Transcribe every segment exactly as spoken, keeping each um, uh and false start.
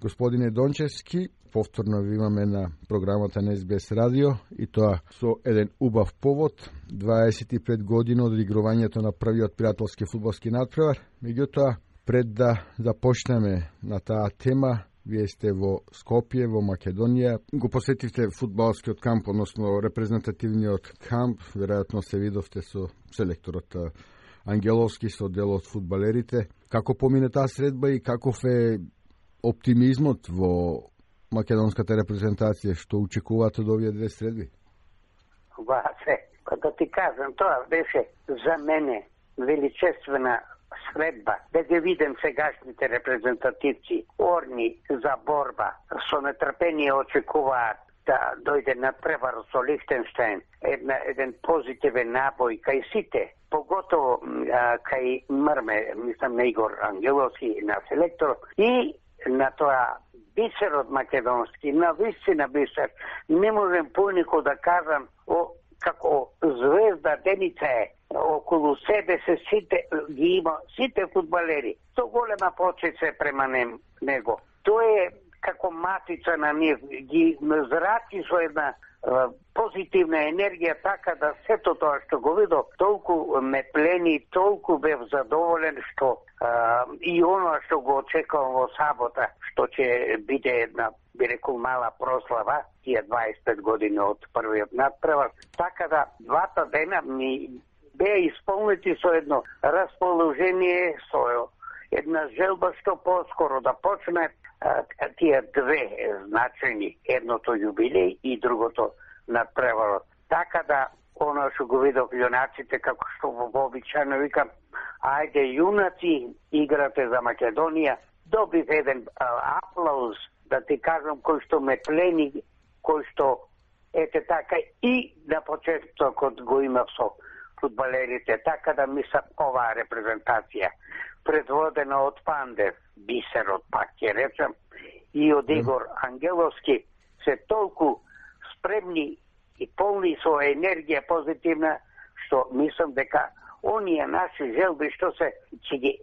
Господине Дончевски, повторно ви имаме на програмата на Ес Би Ес Радио и тоа со еден убав повод, дваесет и пет години од игрувањето на првиот пријателски фудбалски надпревар. Меѓутоа, пред да започнеме на таа тема, вие сте во Скопје, во Македонија. Го посетивте фудбалскиот камп, односно репрезентативниот камп. Веројатно се видовте со селекторот Ангеловски, со дел од фудбалерите. Како помине таа средба и каков е оптимизмот во македонската репрезентација? Што очекувате од овие две средби? Васе, да ти кажам, тоа беше за мене величествена средба, да ги видим сегашните репрезентативци, орни за борба, со нетрпение очекуваат да дојде на превар со Лихтенштейн, една, еден позитивен набој кај сите, поготово а, кај Мрме, мислам на Игор Ангеловски, на селектор, и на тоа бисерот македонски, на вистина бисер. Не можем поинаку да кажам о, како звезда Деница е. Околу себе се сите ги има, сите фудбалери. Со голема почит се према него. Тоа е како матица на нив, ги зрачи со една е, позитивна енергија, така да сето тоа што го видов, толку ме плени, толку бев задоволен што е, и оно што го очекувам во сабота, што ќе биде една, би рекол, мала прослава, тие дваесет и пет години од првиот надпревар. Така да, двата дена ми беа исполнети со едно расположение, со една желба што поскоро да почне а, тие две значајни, едното јубилеј и другото надпреварот. Така да, оно што го видов јунаците, како што вообичајно викам, ајде јунаци, играте за Македонија, добив еден а, аплауз, да ти кажам, кој што ме плени, кој што, ете така, и на почетокот го имав со фудбалерите, така да мислам оваа репрезентација, предводена од Пандев, бисерот пак ќе речем, и од Игор Ангеловски, се толку спремни и полни со енергија позитивна, што мислам дека оние наши желби што се ќе ги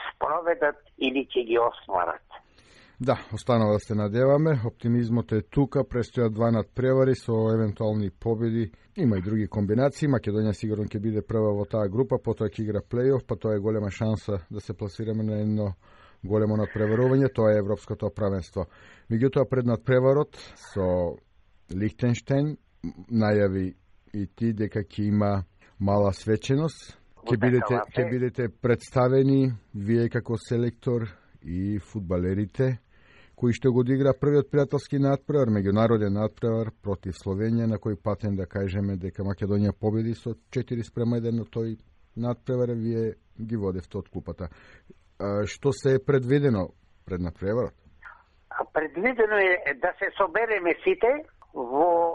спроведат или ќе ги остварат. Да, останува да се надеваме. Оптимизмот е тука, престојат два надпревари со евентуални победи. Има и други комбинации. Македонија сигурно ќе биде прва во таа група, потоа ќе игра плейоф, па тоа е голема шанса да се пласираме на едно големо надпреварување, тоа е Европското правенство. Меѓутоа, пред надпреварот со Лихтенштейн најави и ти дека ќе има мала свеченост. Ќе бидете, ќе бидете представени вие како селектор и фудбалерите кои што го одигра првиот пријателски надпревар, меѓународен надпревар против Словенија, на кој патен да кажеме дека Македонија победи со четири спрема еден, но тој надпревар вие ги водевте од клупата. А, што се е предвидено пред надпреварот? Предвидено е да се собереме сите во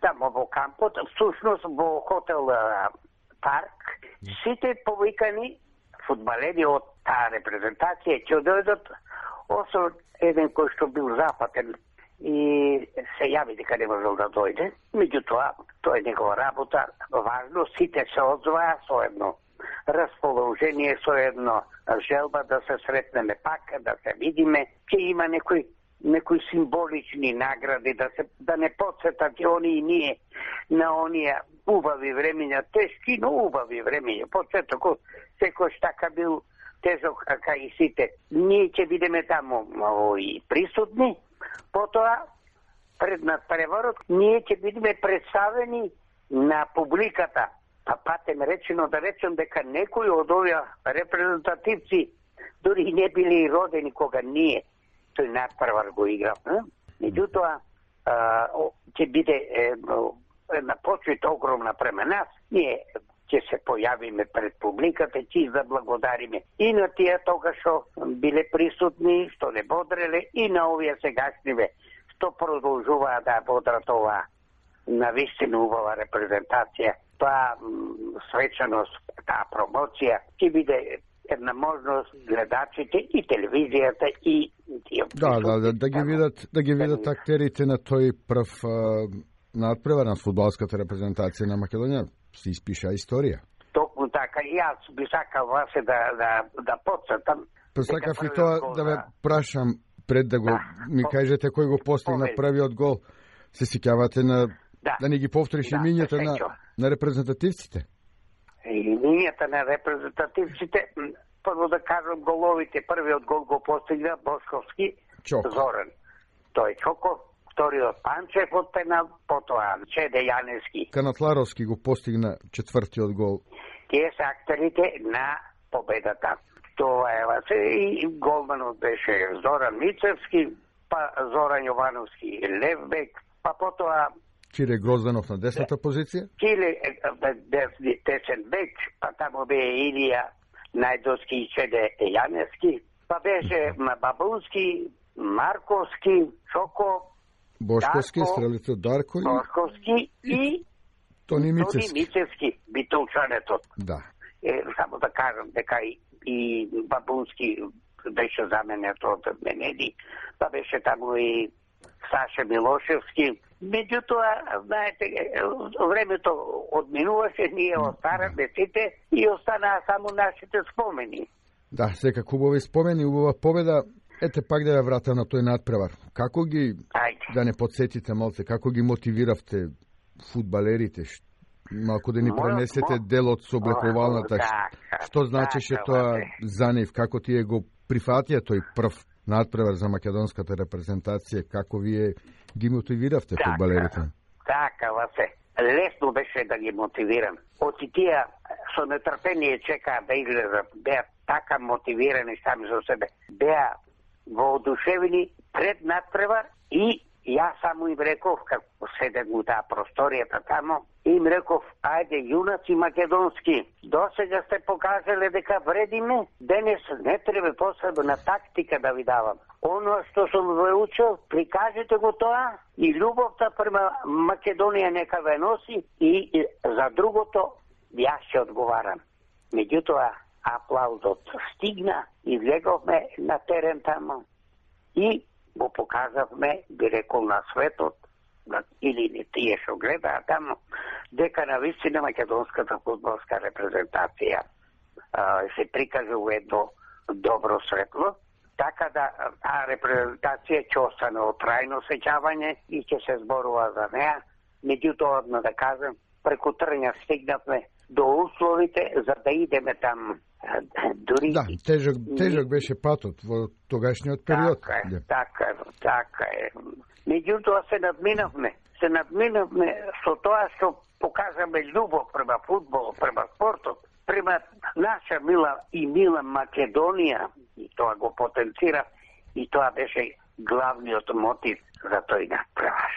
тамо во кампот, всушност во хотел Парк, сите повикани фудбалери од таа репрезентација ќе дојдат, освен еден кој што бил запатен и се јави дека не можел да дојде. Меѓутоа, тоа е негова работа. Важно, сите се одзваа со едно расположение, со едно желба да се сретнеме пак, да се видиме, ќе има некои некои символични награди, да се да не подсетат и они и ние на оние убави времења, тешки, но убави времења. Подсетокот секој така бил тежок како и сите. Ние ќе бидеме таму и присутни. Потоа, пред надпреварот, ние ќе бидеме представени на публиката. Па патем речено да речем дека некои од овие репрезентативци дури не били родени кога ние тој надпревар го играв. Меѓутоа, ќе биде една почит огромна према нас. Ние ќе се појавиме пред публиката, ќе заблагодариме и на тие тога што биле присутни, што не бодреле, и на овие сегашниве што продолжуваа да бодрат оваа навистина убава репрезентација. Таа свечаност, таа промоција ќе биде една можност гледачите и телевизијата и тие. Да, да, да, да ги видат, да ги видат актерите на тој прв надпревар на фудбалската репрезентација на Македонија. Се испиша историја. Токму така, и јас би сакал вас да, да, да подсетам. Посакав и тоа да ве прашам, пред да го да. ми кажете кој го постигна Победи. првиот гол, се сеќавате на да, да ни ги повториш да, имињата на, на репрезентативците? Имињата на репрезентативците, прво да кажам головите, првиот гол го постигна Бошковски, Чоко. Зоран. Тој Чоко, вториот Панчев од пенал, потоа Чеде Јаневски. Канатларовски го постигна четвртиот гол. Тие се актерите на победата. Тоа е васе и голманот беше Зоран Мицевски, па Зоран Јовановски левбек, па потоа Кире Грозданов на десната позиција. Киле десен бек, па тамо бе Илија Најдовски и Чеде Јаневски, па беше Бабунски, Марковски, Чоко, Бошковски, Дарко, стрелите Дарко и Бошковски и Тони Мицевски. Тони Мицевски, битолчанетот. Да. Е, само да кажам дека и, и Бабунски беше заменет од Менеди, па беше таму и Саша Милошевски. Меѓутоа, знаете, времето одминуваше, ние остараме сите и останаа само нашите спомени. Да, секако хубави спомени, убава победа. Ете пак да ја вратам на тој надпревар. Како ги, Ајде. да не подсетите малце, како ги мотивиравте фудбалерите? Малку да ни Мојот, пренесете мо... дел од соблекувалната. Така, Што значеше така, тоа бе. за нив? Како тие го прифатија тој прв надпревар за македонската репрезентација? Како вие ги мотивиравте Така, фудбалерите? Така, Васе. Лесно беше да ги мотивирам. Оти тие со нетрпение чекаа да излезат. Беа така мотивирани сами за себе. Беа воодушевени пред надпревар и јас само им реков, како седем у таа просторијата тамо, им реков, ајде, јунаци македонски, досега сте покажале дека вредиме, денес не треба посебна тактика да ви давам. Оно што сум ве учил, прикажете го тоа и љубовта према Македонија нека ве носи и, и за другото јас ќе одговарам. Меѓутоа, аплаузот стигна, излеговме на терен тамо и го покажавме, би рекол, на светот, или не тие што гледаа тамо, дека на вистина македонската фудбалска репрезентација а, се прикажува едно добро светло, така да таа репрезентација ќе остане од трајно сеќавање и ќе се зборува за неа. Меѓутоа, одно да кажам, преку трња стигнавме до условите за да идеме там. Дури... Да, тежок, тежок беше патот во тогашниот период. Така е, Да. така е, така е. Меѓутоа се надминавме. Се надминавме со тоа што покажаме љубов према фудбол, према спортот, према наша мила и мила Македонија. И тоа го потенцира и тоа беше главниот мотив за тој надпревар.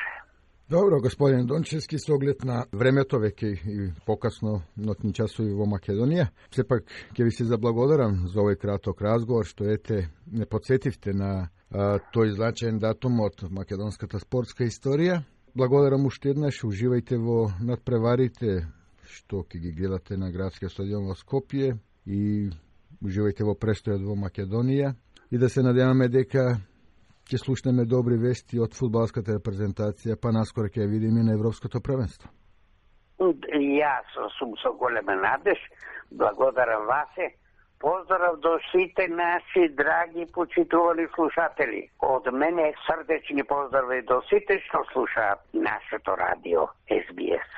Добро, господин Дончевски, со оглед на времето веќе и покасно нотни часови во Македонија, сепак ќе ви се заблагодарам за овој краток разговор, што ете не подсетивте на а, тој значаен датум од македонската спортска историја. Благодарам уште еднаш, уживајте во надпреварите што ќе ги гледате на градскиот стадион во Скопје и уживајте во престојот во Македонија и да се надеваме дека ќе слушнеме добри вести од фудбалската репрезентација, па наскоро ќе ја видиме на Европското првенство. Јас сум со голема надеж, благодарам Васе, поздрав до сите наши драги почитувани слушатели. Од мене срдечни поздрави до сите што слушаат нашето радио Ес Би Ес.